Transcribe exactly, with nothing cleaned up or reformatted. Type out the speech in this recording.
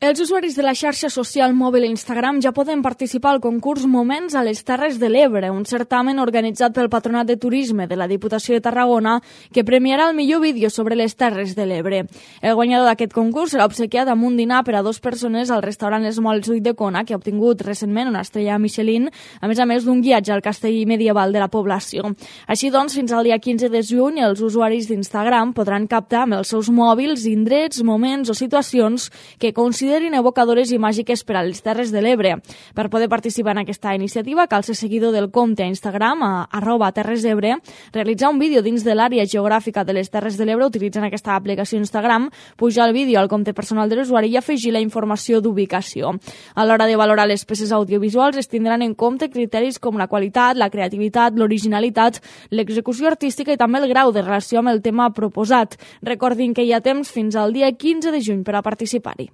Els usuaris de la xarxa social mòbil Instagram ja poden participar al concurs Moments a les Terres de l'Ebre, un certamen organitzat pel Patronat de Turisme de la Diputació de Tarragona que premiarà el millor vídeo sobre les Terres de l'Ebre. El guanyador d'aquest concurs serà obsequiat amb un dinar per a dues persones al restaurant Els Molls d'Ulldecona, que ha obtingut recentment una estrella Michelin, a més a més d'un guiatge al castell medieval de la població. Així doncs, fins al dia quinze de juny, els usuaris d'Instagram podran captar amb els seus mòbils indrets, moments o situacions que consideren considerin evocadores i màgiques per a les Terres de l'Ebre. Per poder participar en aquesta iniciativa cal ser seguidor del compte a Instagram a arroba Terres d'Ebre, realitzar un vídeo dins de l'àrea geogràfica de les Terres de l'Ebre utilitzant aquesta aplicació Instagram, pujar el vídeo al compte personal de l'usuari i afegir la informació d'ubicació. A l'hora de valorar les peces audiovisuals es tindran en compte criteris com la qualitat, la creativitat, l'originalitat, l'execució artística i també el grau de relació amb el tema proposat. Recordin que hi ha temps fins al dia quinze de juny per a participar-hi.